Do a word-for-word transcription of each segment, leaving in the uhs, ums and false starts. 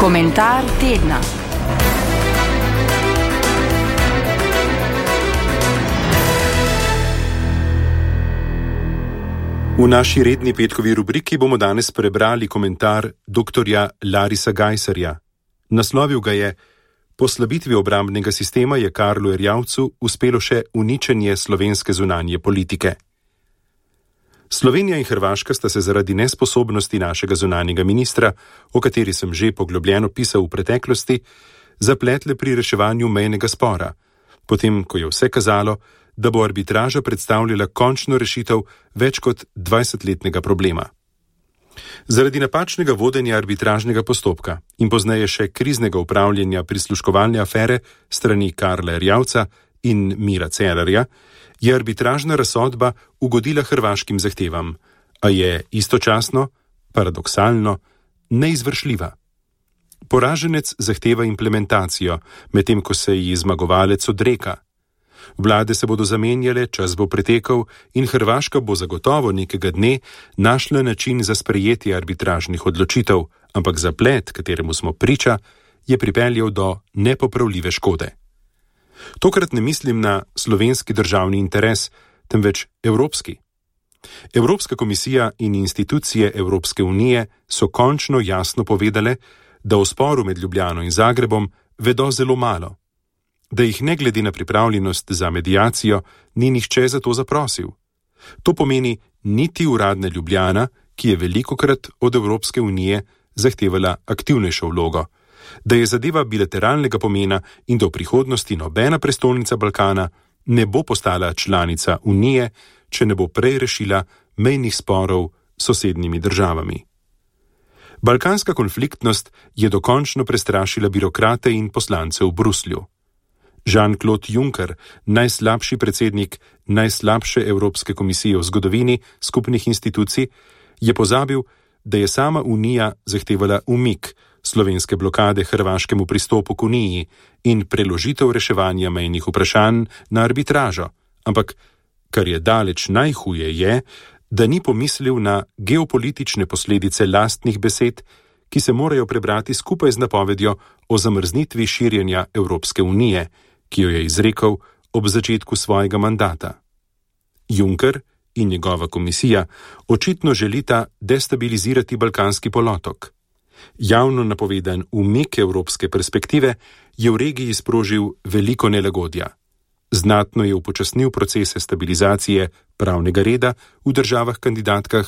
Komentar tedna. V naši redni petkovi rubriki bomo danes prebrali komentar doktorja Larisa Geiserja. Naslovil ga je: Po slabitvi obrambnega sistema je Karlu Erjavcu uspelo še uničenje slovenske zunanje politike. Slovenija in Hrvaška sta se zaradi nesposobnosti našega zunanjega ministra, o kateri sem že poglobljeno pisal v preteklosti, zapletle pri reševanju mejnega spora, potem ko je vse kazalo, da bo arbitraža predstavljala končno rešitev več kot dvajsetletnega problema. Zaradi napačnega vodenja arbitražnega postopka in pozneje še kriznega upravljanja prisluškovalne afere strani Karla Erjavca in Mira Cerarja, je arbitražna razsodba ugodila hrvaškim zahtevam, a je istočasno, paradoksalno, neizvršljiva. Poraženec zahteva implementacijo, medtem ko se ji zmagovalec odreka. Vlade se bodo zamenjale, čas bo pretekel in Hrvaška bo zagotovo nekega dne našla način za sprejetje arbitražnih odločitev, ampak zaplet, kateremu smo priča, je pripeljal do nepopravljive škode. Tokrat ne mislim na slovenski državni interes, temveč evropski. Evropska komisija in institucije Evropske unije so končno jasno povedale, da o sporu med Ljubljano in Zagrebom vedo zelo malo, da jih ne glede na pripravljenost za mediacijo ni nihče za to zaprosil. To pomeni niti uradna Ljubljana, ki je velikokrat od Evropske unije zahtevala aktivnejšo vlogo, da je zadeva bilateralnega pomena in da v prihodnosti nobena prestolnica Balkana ne bo postala članica Unije, če ne bo prej rešila mejnih sporov s sosednjimi državami. Balkanska konfliktnost je dokončno prestrašila birokrate in poslance v Bruslju. Jean-Claude Juncker, najslabši predsednik najslabše Evropske komisije v zgodovini skupnih institucij, je pozabil, da je sama Unija zahtevala umik slovenske blokade hrvaškemu pristopu k Uniji in preložitev reševanja mejnih vprašanj na arbitražo, ampak, kar je daleč najhuje je, da ni pomislil na geopolitične posledice lastnih besed, ki se morajo prebrati skupaj z napovedjo o zamrznitvi širjenja Evropske unije, ki jo je izrekel ob začetku svojega mandata. Juncker in njegova komisija očitno želita destabilizirati balkanski polotok. Javno napovedan umik evropske perspektive je v regiji sprožil veliko nelagodja. Znatno je upočasnil procese stabilizacije pravnega reda v državah kandidatkah,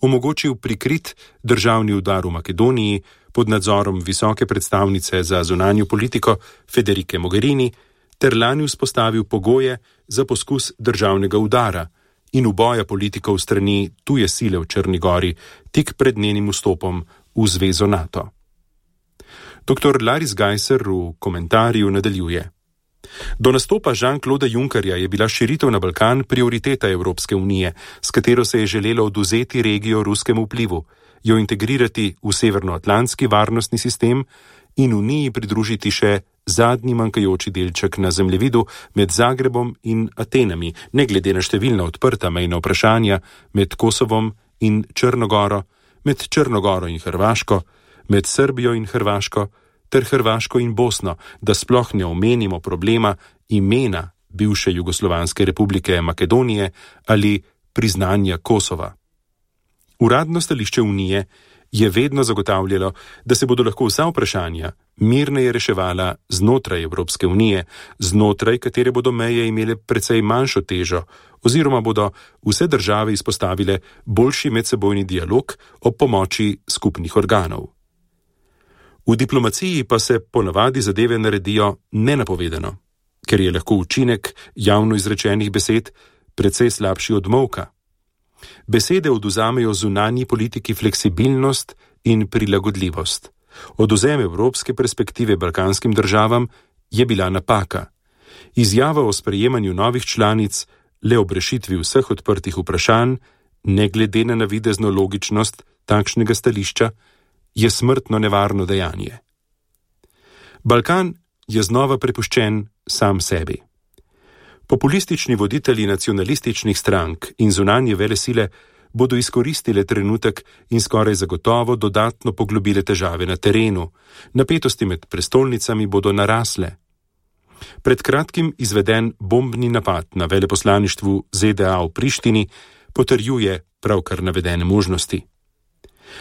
omogočil prikrit državni udar v Makedoniji pod nadzorom visoke predstavnice za zunanjo politiko Federike Mogherini ter lani vzpostavil pogoje za poskus državnega udara in uboja politikov strani tuje sile v Črni gori tik pred njenim vstopom v zvezo NATO. Doktor Laris Geiser v komentarju nadaljuje: Do nastopa Jean-Claude Junckerja je bila širitev na Balkan prioriteta Evropske unije, s katero se je želelo odvzeti regijo ruskemu vplivu, jo integrirati v severnoatlantski varnostni sistem in Uniji pridružiti še zadnji manjkajoči delček na zemljevidu med Zagrebom in Atenami, ne glede na številna odprta mejna vprašanja med Kosovom in Črnogoro, med Črnogoro in Hrvaško, med Srbijo in Hrvaško, ter Hrvaško in Bosno, da sploh ne omenimo problema imena bivše Jugoslovanske republike Makedonije ali priznanja Kosova. Uradno stališče Unije je vedno zagotavljalo, da se bodo lahko vsa vprašanja mirneje reševala znotraj Evropske unije, znotraj katere bodo meje imele precej manjšo težo, oziroma bodo vse države izpostavile boljši medsebojni dialog ob pomoči skupnih organov. V diplomaciji pa se ponavadi zadeve naredijo nenapovedano, ker je lahko učinek javno izrečenih besed precej slabši od molka. Besede odvzamejo zunanji politiki fleksibilnost in prilagodljivost. Odvzem evropske perspektive balkanskim državam je bila napaka. Izjava o sprejemanju novih članic le ob rešitvi vseh odprtih vprašanj, ne glede na navidezno logičnost takšnega stališča, je smrtno nevarno dejanje. Balkan je znova prepuščen sam sebi. Populistični voditelji nacionalističnih strank in zunanje velesile bodo izkoristile trenutek in skoraj zagotovo dodatno poglobile težave na terenu. Napetosti med prestolnicami bodo narasle. Pred kratkim izveden bombni napad na veleposlaništvu Z D A v Prištini potrjuje pravkar navedene možnosti.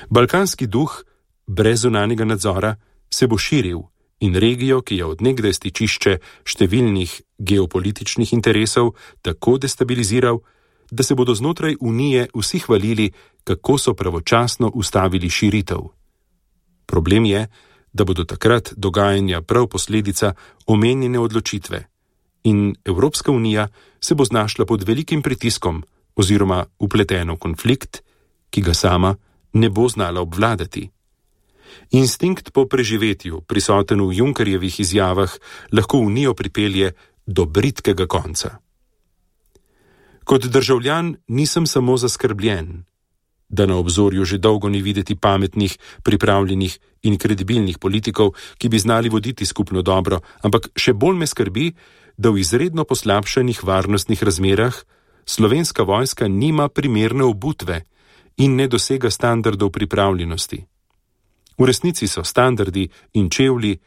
Balkanski duh brez zunanjega nadzora se bo širil in regijo, ki je od nekdaj stičišče številnih geopolitičnih interesov, tako destabiliziral, da se bodo znotraj Unije vsi hvalili, kako so pravočasno ustavili širitev. Problem je, da bodo takrat dogajanja prav posledica omenjene odločitve in Evropska unija se bo znašla pod velikim pritiskom oziroma vpletena v konflikt, ki ga sama ne bo znala obvladati. Instinkt po preživetju, prisoten v Junckerjevih izjavah, lahko Unijo pripelje do bridkega konca. Kot državljan nisem samo zaskrbljen, da na obzorju že dolgo ni videti pametnih, pripravljenih in kredibilnih politikov, ki bi znali voditi skupno dobro, ampak še bolj me skrbi, da v izredno poslabšanih varnostnih razmerah slovenska vojska nima primerne obutve in ne dosega standardov pripravljenosti. V resnici so standardi in čevlji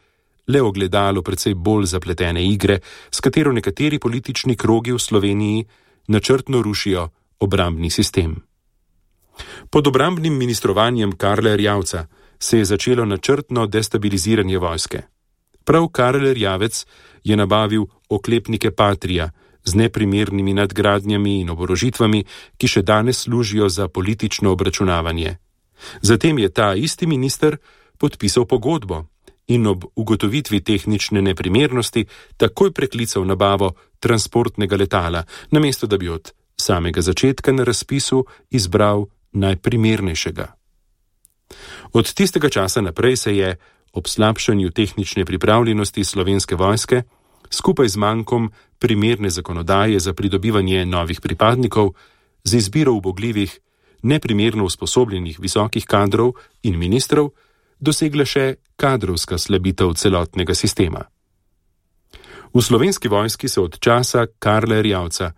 le ogledalo precej bolj zapletene igre, s katero nekateri politični krogi v Sloveniji načrtno rušijo obrambni sistem. Pod obrambnim ministrovanjem Karla Erjavca se je začelo načrtno destabiliziranje vojske. Prav Karel Erjavec je nabavil oklepnike Patria z neprimernimi nadgradnjami in oborožitvami, ki še danes služijo za politično obračunavanje. Zatem je ta isti minister podpisal pogodbo in ob ugotovitvi tehnične neprimernosti takoj preklical nabavo transportnega letala, namesto da bi od samega začetka na razpisu izbral najprimernejšega. Od tistega časa naprej se je ob slabšanju tehnične pripravljenosti slovenske vojske, skupaj z mankom primerne zakonodaje za pridobivanje novih pripadnikov, z izbiro ubogljivih, neprimerno usposobljenih visokih kadrov in ministrov, dosegla še kadrovska slabitev celotnega sistema. V slovenski vojski se od časa Karla Erjavca,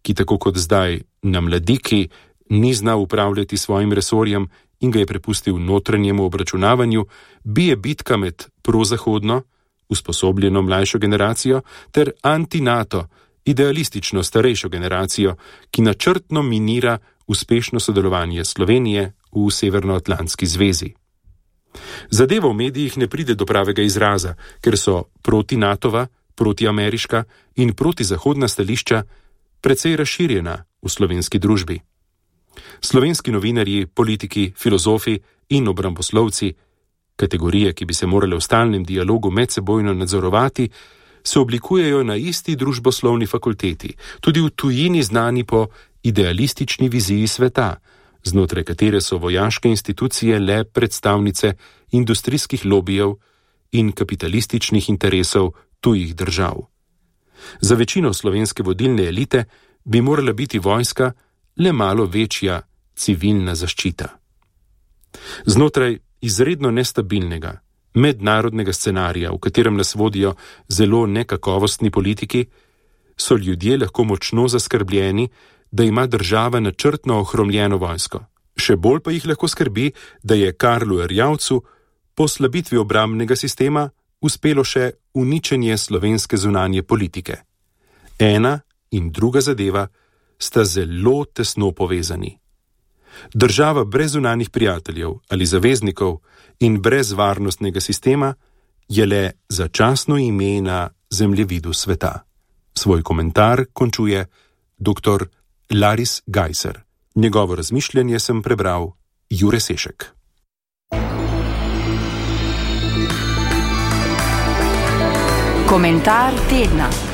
ki tako kot zdaj na mladiki ni znal upravljati svojim resorjem in ga je prepustil notranjemu obračunavanju, bije bitka med prozahodno, usposobljeno mlajšo generacijo ter anti-NATO, idealistično starejšo generacijo, ki načrtno minira uspešno sodelovanje Slovenije v Severnoatlantski zvezi. Zadeva v medijih ne pride do pravega izraza, ker so proti-natova, proti-ameriška in proti-zahodna stališča precej razširjena v slovenski družbi. Slovenski novinarji, politiki, filozofi in obramboslovci, kategorije, ki bi se morale v stalnem dialogu medsebojno nadzorovati, se oblikujejo na isti družboslovni fakulteti, tudi v tujini znani po idealistični viziji sveta, znotraj katere so vojaške institucije le predstavnice industrijskih lobijev in kapitalističnih interesov tujih držav. Za večino slovenske vodilne elite bi morala biti vojska le malo večja civilna zaščita. Znotraj izredno nestabilnega, mednarodnega scenarija, v katerem nas vodijo zelo nekakovostni politiki, so ljudje lahko močno zaskrbljeni, da ima država načrtno ohromljeno vojsko. Še bolj pa jih lahko skrbi, da je Karlu Erjavcu po slabitvi obrambnega sistema uspelo še uničenje slovenske zunanje politike. Ena in druga zadeva sta zelo tesno povezani. Država brez zunanjih prijateljev ali zaveznikov in brez varnostnega sistema je le začasno ime na zemljevidu sveta. Svoj komentar končuje dr. Laris Gajser. Njegovo razmišljanje sem prebral Jure Sešek. Komentar tedna.